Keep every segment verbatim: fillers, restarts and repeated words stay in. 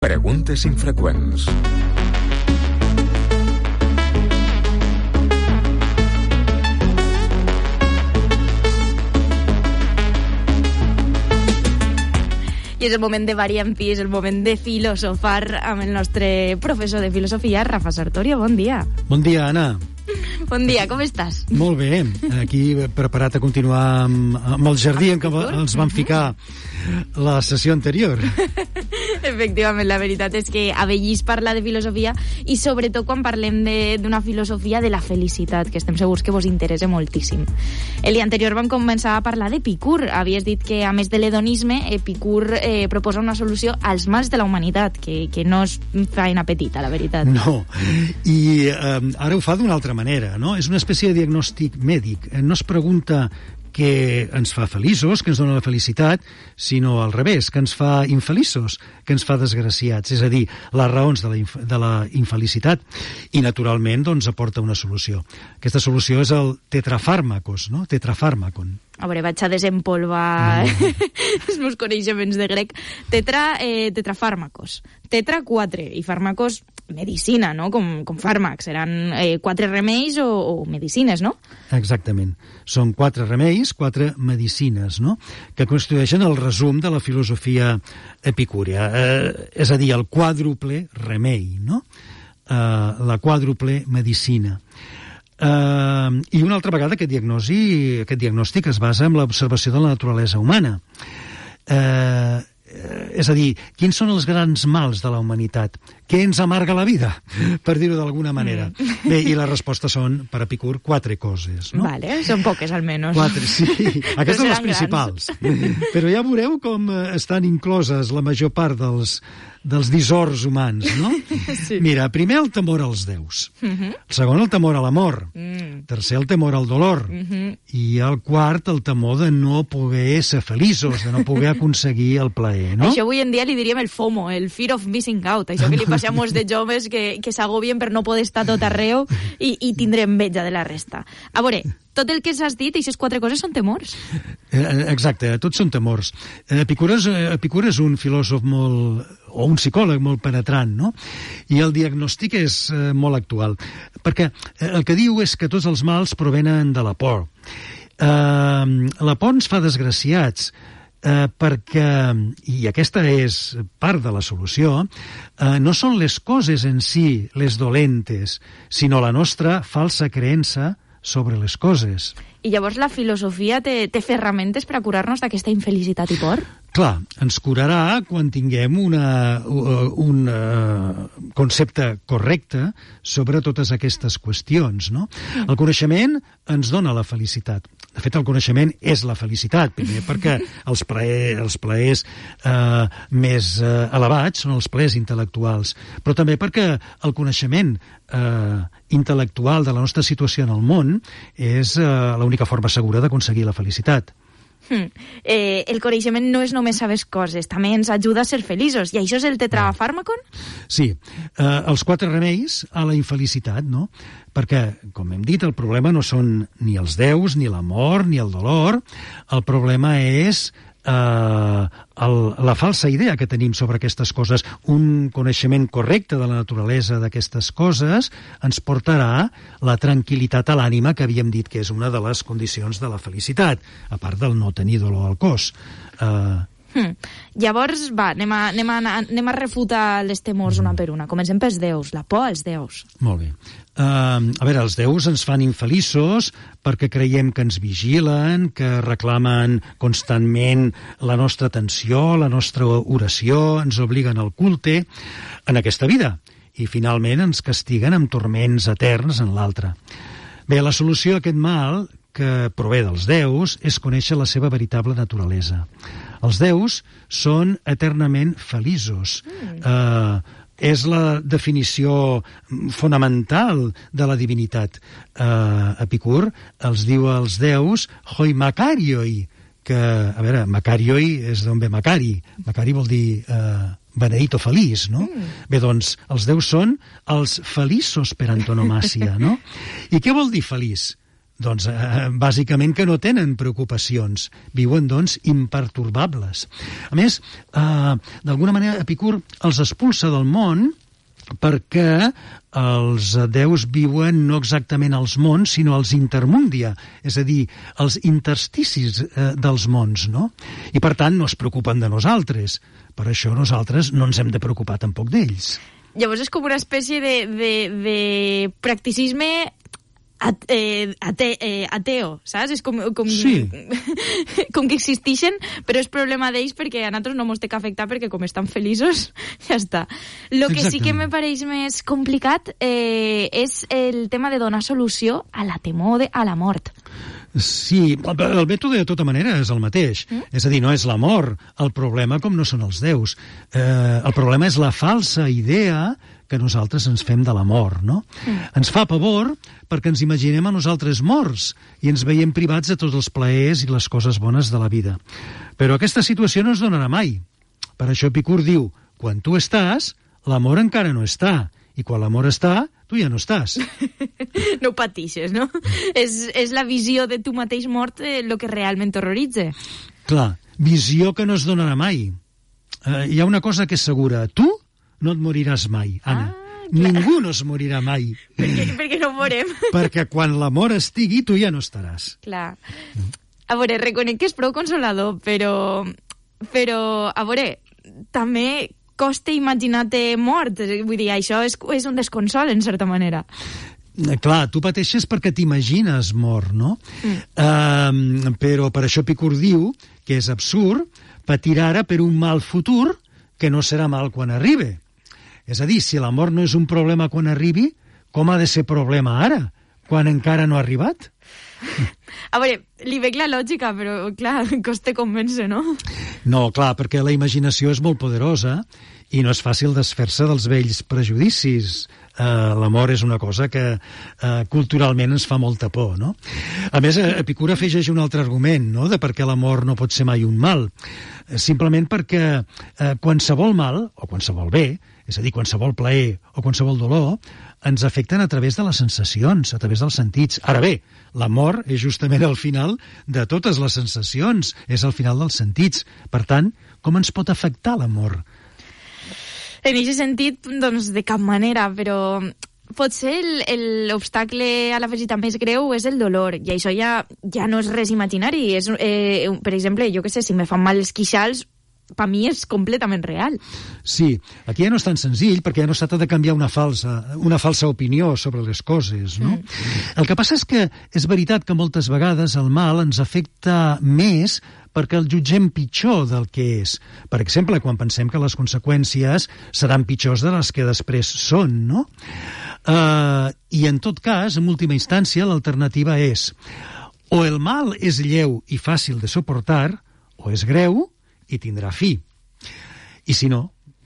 Preguntes infreqüents. I és el moment de variar en fi, és el moment de filosofar amb el nostre professor de filosofia, Rafa Sartorio. Bon dia. Bon dia, Anna. Bon dia, com estàs? Molt bé, aquí preparat a continuar amb, amb el jardí en què ens vam ficar la sessió anterior. Efectivament, la veritat és que Avellís parla de filosofia i sobretot quan parlem d'una filosofia de la felicitat, que estem segurs que vos interessa moltíssim. El dia anterior vam començar a parlar d'Epicur. Havies dit que, a més de l'hedonisme, Epicur eh, proposa una solució als mals de la humanitat, que, que no és feina petita, la veritat. No, i eh, ara ho fa d'una altra manera, no? És una espècie de diagnòstic mèdic. No es pregunta què ens fa feliços, que ens dona la felicitat, sinó al revés, que ens fa infeliços, que ens fa desgraciats, és a dir, les raons de la, inf de la infelicitat. I, naturalment, doncs, aporta una solució. Aquesta solució és el tetrafàrmacos, no? Tetrafàrmacon. A veure, vaig a desempolvar no. els meus coneixements de grec. Tetra, eh, tetrafàrmacos. Tetra, quatre, i fàrmacos, medicina, no? Com, com fàrmacs. Seran eh, quatre remeis o, o medicines, no? Exactament. Són quatre remeis, quatre medicines, no? Que constitueixen el resum de la filosofia epicúria. Eh, és a dir, el quàdruple remei, no? Eh, la quàdruple medicina. Uh, I una altra vegada aquest, diagnosi, aquest diagnòstic es basa en l'observació de la naturalesa humana. Uh, és a dir, quins són els grans mals de la humanitat? Què ens amarga la vida, per dir-ho d'alguna manera? Mm. Bé, i la resposta són, per Epicur, quatre coses, no? Vale, són poques, almenys. Quatre, sí. Aquestes són les principals. Grans. Però ja veureu com estan incloses la major part dels, dels dissorts humans, no? Sí. Mira, primer el temor als déus. Uh-huh. El segon, el temor a l'amor. Mm. Tercer, el temor al dolor. Uh-huh. I el quart, el temor de no poder ser feliços, de no poder aconseguir el plaer, no? Això avui en dia li diríem el FOMO, el Fear of Missing Out, això que li passa a molts de joves que, que s'agobien per no poder estar tot arreu i, i tindre enveja de la resta. A veure, tot el que s'has dit, aquestes quatre coses són temors. Exacte, tots són temors. Epicur és, Epicur és un filòsof molt, o un psicòleg molt penetrant, no? I el diagnòstic és eh, molt actual, perquè el que diu és que tots els mals provenen de la por. Eh, la por ens fa desgraciats, eh, perquè, i aquesta és part de la solució, eh, no són les coses en si les dolentes, sinó la nostra falsa creença sobre les coses. I llavors la filosofia té, té ferramentes per a curar-nos d'aquesta infelicitat i por? Clar, ens curarà quan tinguem una, un uh, concepte correcte sobre totes aquestes qüestions, no? El coneixement ens dona la felicitat. De fet, el coneixement és la felicitat, primer perquè els, plaer, els plaers uh, més uh, elevats són els plaers intel·lectuals, però també perquè el coneixement uh, intel·lectual de la nostra situació en el món és uh, l'única forma segura d'aconseguir la felicitat. Hmm. Eh, el coneixement no és només saber coses, també ens ajuda a ser feliços. I això és el tetrafàrmacon? Sí, eh, els quatre remeis a la infelicitat, no? Perquè, com hem dit, el problema no són ni els déus, ni l'amor, ni el dolor. El problema és Uh, el, la falsa idea que tenim sobre aquestes coses. Un coneixement correcte de la naturalesa d'aquestes coses ens portarà la tranquil·litat a l'ànima, que havíem dit que és una de les condicions de la felicitat, a part del no tenir dolor al cos. Uh, Hmm. Llavors, va, anem a, anem, a, anem a refutar les temors una per una. Comencem pels déus, la por als déus. Molt bé. Uh, a veure, els déus ens fan infeliços perquè creiem que ens vigilen, que reclamen constantment la nostra atenció, la nostra oració, ens obliguen al culte en aquesta vida i finalment ens castiguen amb torments eterns en l'altra. Bé, la solució a aquest mal que prové dels déus és conèixer la seva veritable naturalesa. Els déus són eternament feliços. Mm. Eh, és la definició fonamental de la divinitat. Eh, Epicur els diu als déus hoi makarioi, que, a veure, makarioi és d'on ve Macari. Macari vol dir eh, beneït o feliç, no? Mm. Bé, doncs, els déus són els feliços per antonomàsia, no? I què vol dir feliç? Doncs eh, bàsicament que no tenen preocupacions, viuen doncs impertorbables. A més, eh, d'alguna manera Epicur els expulsa del món perquè els déus viuen no exactament als mons, sinó als intermundia, és a dir, als intersticis eh, dels mons, no? I per tant no es preocupen de nosaltres. Per això nosaltres no ens hem de preocupar tampoc d'ells. Llavors és com una espècie de, de, de practicisme at, eh, ate, eh, ateo, saps? És com, com, sí. com que existeixen, però és problema d'ells perquè a nosaltres no ens té que afectar perquè com estan feliços, ja està. Lo que Exactament. Sí que me pareix més complicat eh, és el tema de donar solució a la temor de, a la mort. Sí, el, el mètode de tota manera és el mateix. Mm? És a dir, no és l'amor el problema com no són els déus. Eh, el problema és la falsa idea que nosaltres ens fem de la mort, no? Mm. Ens fa pavor perquè ens imaginem a nosaltres morts i ens veiem privats de tots els plaers i les coses bones de la vida. Però aquesta situació no es donarà mai. Per això Epicur diu, quan tu estàs, l'amor encara no està. I quan l'amor està, tu ja no estàs. No patixes, no? és, és la visió de tu mateix mort el eh, que realment t'horroritza. Clar, visió que no es donarà mai. Uh, hi ha una cosa que és segura. Tu no et moriràs mai, Anna. Ah, ningú no es morirà mai. Per què, per què no morem? Perquè quan l'amor estigui, tu ja no estaràs. Clar. A veure, reconec que és prou consolador, però... Però, a veure, també costa imaginar-te mort. Vull dir, això és, és un desconsol, en certa manera. Clar, tu pateixes perquè t'imagines mort, no? Mm. Uh, però per això Epicur diu que és absurd patir ara per un mal futur que no serà mal quan arribi. És a dir, si la mort no és un problema quan arribi, com ha de ser problema ara, quan encara no ha arribat? A veure, li veig la lògica, però, clar, costa convèncer, no? No, clar, perquè la imaginació és molt poderosa i no és fàcil desfer-se dels vells prejudicis. Uh, l'amor és una cosa que uh, culturalment ens fa molta por, no? A més, Epicur afegeix un altre argument, no?, de per què l'amor no pot ser mai un mal. Simplement perquè uh, qualsevol mal, o qualsevol bé, és a dir, qualsevol plaer o qualsevol dolor, ens afecten a través de les sensacions, a través dels sentits. Ara bé, l'amor és justament el final de totes les sensacions, és el final dels sentits. Per tant, com ens pot afectar l'amor? En aquest sentit, doncs, de cap manera, però potser l'obstacle a la felicitat més greu és el dolor, i això ja, ja no és res imaginari. És, eh, per exemple, jo què sé, si me fan mal els queixals, per mi és completament real. Sí, aquí ja no és tan senzill, perquè ja no s'ha de canviar una falsa, una falsa opinió sobre les coses, no? Mm. El que passa és que és veritat que moltes vegades el mal ens afecta més perquè el jutgem pitjor del que és. Per exemple, quan pensem que les conseqüències seran pitjors de les que després són, no? Uh, I en tot cas, en última instància, l'alternativa és o el mal és lleu i fàcil de suportar, o és greu i tindrà fi. I si no,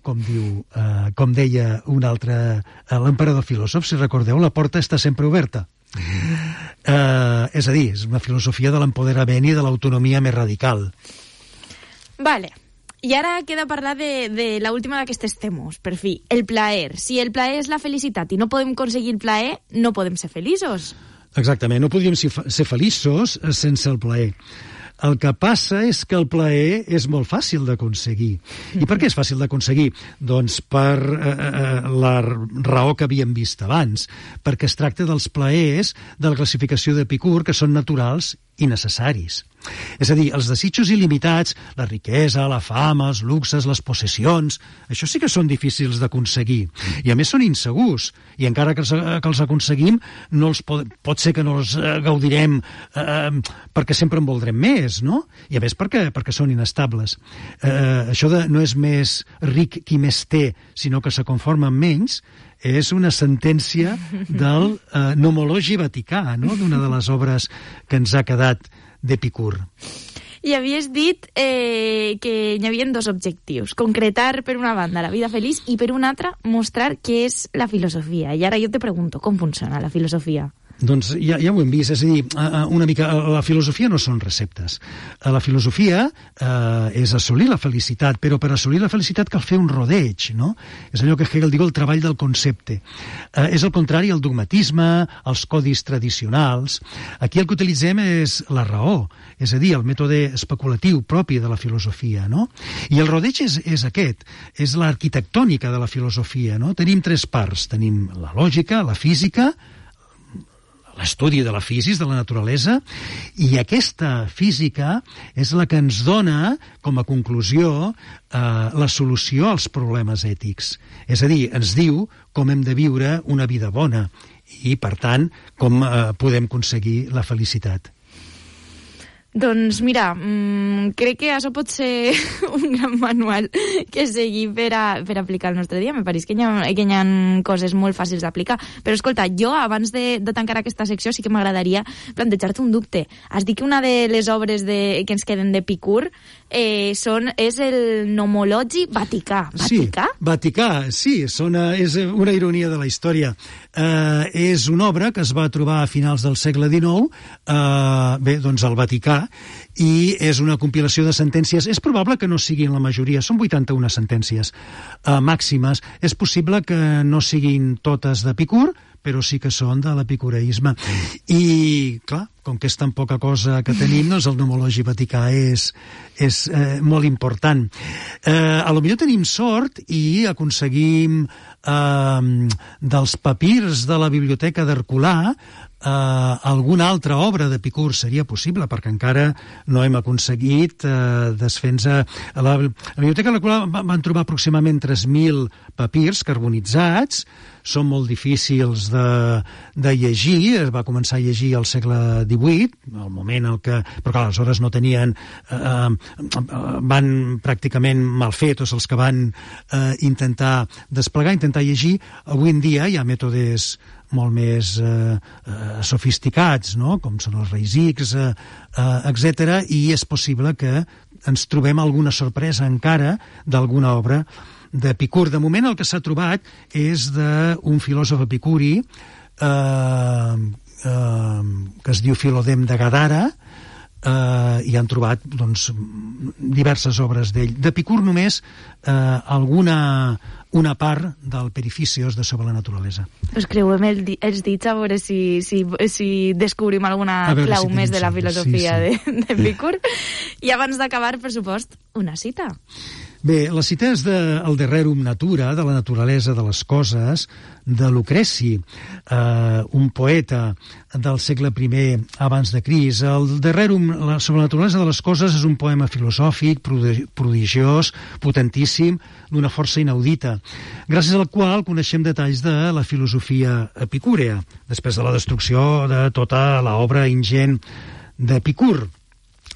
com diu, eh, com deia un altre, eh, l'emperador filòsof, si recordeu, la porta està sempre oberta. Eh, és a dir, és una filosofia de l'empoderament i de l'autonomia més radical. Vale. I ara queda parlar de, de l'última d'aquestes temes, per fi, el plaer. Si el plaer és la felicitat i no podem aconseguir el plaer, no podem ser feliços. Exactament, no podríem ser feliços sense el plaer. El que passa és que el plaer és molt fàcil d'aconseguir. I per què és fàcil d'aconseguir? Doncs per eh, la raó que havíem vist abans, perquè es tracta dels plaers de la classificació d'Epicur que són naturals i necessaris. És a dir, els desitjos il·limitats, la riquesa, la fama, els luxes, les possessions, això sí que són difícils d'aconseguir. I a més són insegurs. I encara que els, que els aconseguim, no els pot, pot ser que no els eh, gaudirem eh, perquè sempre en voldrem més, no? I a més perquè, perquè són inestables. Eh, això de no és més ric qui més té, sinó que se conforma amb menys, és una sentència del eh, nomologi vaticà, no?, d'una de les obres que ens ha quedat d'Epicur. I havies dit eh, que hi havia dos objectius. Concretar, per una banda, la vida feliç i, per una altra, mostrar què és la filosofia. I ara jo te pregunto, com funciona la filosofia? Doncs ja, ja ho hem vist, és a dir, una mica, la filosofia no són receptes. La filosofia eh, és assolir la felicitat, però per assolir la felicitat cal fer un rodeig, no? És allò que Hegel diu el treball del concepte. Eh, és el contrari al dogmatisme, als codis tradicionals. Aquí el que utilitzem és la raó, és a dir, el mètode especulatiu propi de la filosofia, no? I el rodeig és, és aquest, és l'arquitectònica de la filosofia, no? Tenim tres parts, tenim la lògica, la física, l'estudi de la física, de la naturalesa, i aquesta física és la que ens dona, com a conclusió, eh, la solució als problemes ètics. És a dir, ens diu com hem de viure una vida bona i, per tant, com eh, podem aconseguir la felicitat. Doncs mira, mmm, crec que això pot ser un gran manual que seguir per, a, per aplicar el nostre dia. Me pareix que hi ha, que hi ha coses molt fàcils d'aplicar. Però escolta, jo abans de, de tancar aquesta secció sí que m'agradaria plantejar-te un dubte. Has dit que una de les obres de, que ens queden d'Epicur eh, són, és el Nomologi Vaticà. Vaticà? Sí, Vaticà, sí, són, és una ironia de la història. Eh, és una obra que es va trobar a finals del segle dinou, eh, bé, doncs al Vaticà, i és una compilació de sentències. És probable que no siguin la majoria, són vuitanta-una sentències eh, màximes. És possible que no siguin totes d'Epicur, però sí que són de l'epicureisme. I, clar, com que és tan poca cosa que tenim, doncs el Nomologi Vaticà és, és eh, molt important. Eh, a lo millor tenim sort i aconseguim eh, dels papirs de la biblioteca d'Herculà Uh, alguna altra obra d'Epicur seria possible, perquè encara no hem aconseguit uh, desfer-nos. A la, la biblioteca de l'Herculà van trobar aproximadament tres mil papirs carbonitzats, són molt difícils de, de llegir, es va començar a llegir al segle divuit, al moment en què, però clar, aleshores no tenien, uh, van pràcticament mal fer tots els que van uh, intentar desplegar, intentar llegir. Avui en dia hi ha mètodes molt més eh, eh, sofisticats, no? Com són els Reis X, eh, eh, etcètera, i és possible que ens trobem alguna sorpresa encara d'alguna obra d'Epicur. De moment el que s'ha trobat és d'un filòsof epicuri eh, eh, que es diu Filodem de Gadara, eh, i han trobat doncs, diverses obres d'ell. D'Epicur només eh, alguna una part del Perifícios de Sobre la naturalesa. Us creuem el, els dits a veure si, si, si descobrim alguna clau si més de la filosofia sí, sí. d'Epicur. I abans d'acabar, per supost, una cita. Bé, la cita és de El Dererum Natura, de la naturalesa de les coses, de Lucreci, eh, un poeta del segle primer abans de Crist. El Dererum sobre la naturalesa de les coses és un poema filosòfic, prodigiós, potentíssim, d'una força inaudita, gràcies al qual coneixem detalls de la filosofia epicúrea, després de la destrucció de tota l'obra ingent d'Epicur.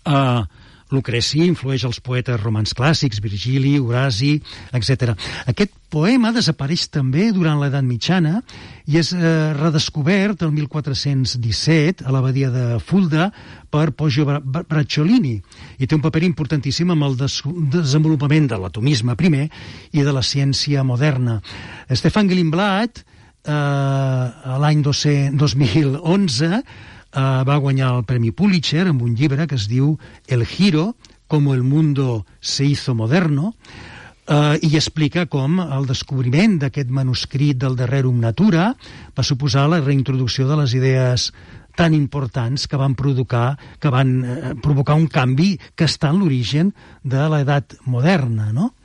Eh, Lucreci influeix els poetes romans clàssics, Virgili, Horaci, etcètera. Aquest poema desapareix també durant l'edat mitjana i és eh, redescobert el mil quatre-cents disset a l'abadia de Fulda per Poggio Bracciolini i té un paper importantíssim amb el des desenvolupament de l'atomisme primer i de la ciència moderna. Stefan Glimblad, eh, l'any dos mil onze, Uh, va guanyar el Premi Pulitzer amb un llibre que es diu El giro, como el mundo se hizo moderno, uh, i explica com el descobriment d'aquest manuscrit del Dererum Natura va suposar la reintroducció de les idees tan importants que van provocar, que van uh, provocar un canvi que està en l'origen de l'edat moderna, no?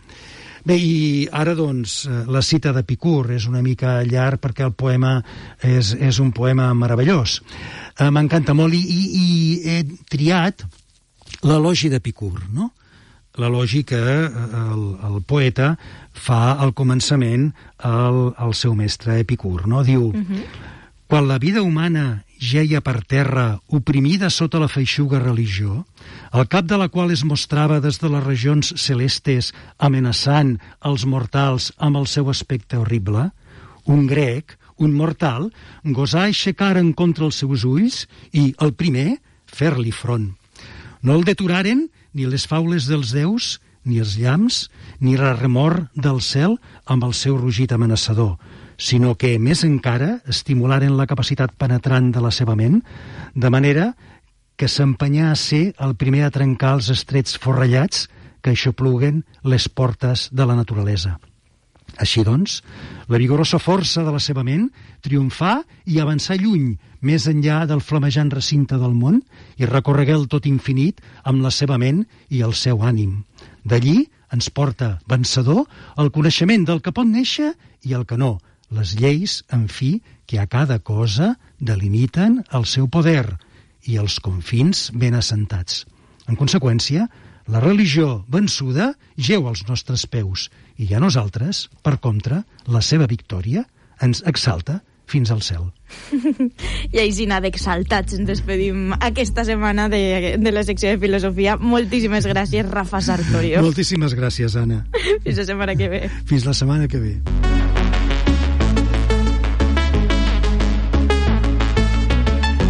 Bé, i ara, doncs, la cita d'Epicur és una mica llarg perquè el poema és, és un poema meravellós. Eh, M'encanta molt i, i, i he triat l'elogi d'Epicur, no? L'elogi que el, el poeta fa al començament al, al seu mestre Epicur, no? Diu, uh-huh. Quan la vida humana geia per terra oprimida sota la feixuga religió, al cap de la qual es mostrava des de les regions celestes amenaçant els mortals amb el seu aspecte horrible, un grec, un mortal, gosà aixecar en contra els seus ulls i, el primer, fer-li front. No el deturaren ni les faules dels déus ni els llamps, ni la remor del cel amb el seu rugit amenaçador, sinó que, més encara, estimularen la capacitat penetrant de la seva ment, de manera que s'empenyà a ser el primer a trencar els estrets forrellats que aixopluguen les portes de la naturalesa. Així doncs, la vigorosa força de la seva ment triomfà i avançà lluny, més enllà del flamejant recinte del món, i recorregué el tot infinit amb la seva ment i el seu ànim. D'allí ens porta vencedor el coneixement del que pot néixer i el que no, les lleis, en fi, que a cada cosa delimiten el seu poder i els confins ben assentats. En conseqüència, la religió vençuda geu als nostres peus i a nosaltres, per contra, la seva victòria ens exalta fins al cel. I així, d'exaltats, ens despedim aquesta setmana de, de la secció de filosofia. Moltíssimes gràcies, Rafa Sartorio. Moltíssimes gràcies, Anna. Fins la setmana que ve. Fins la setmana que ve.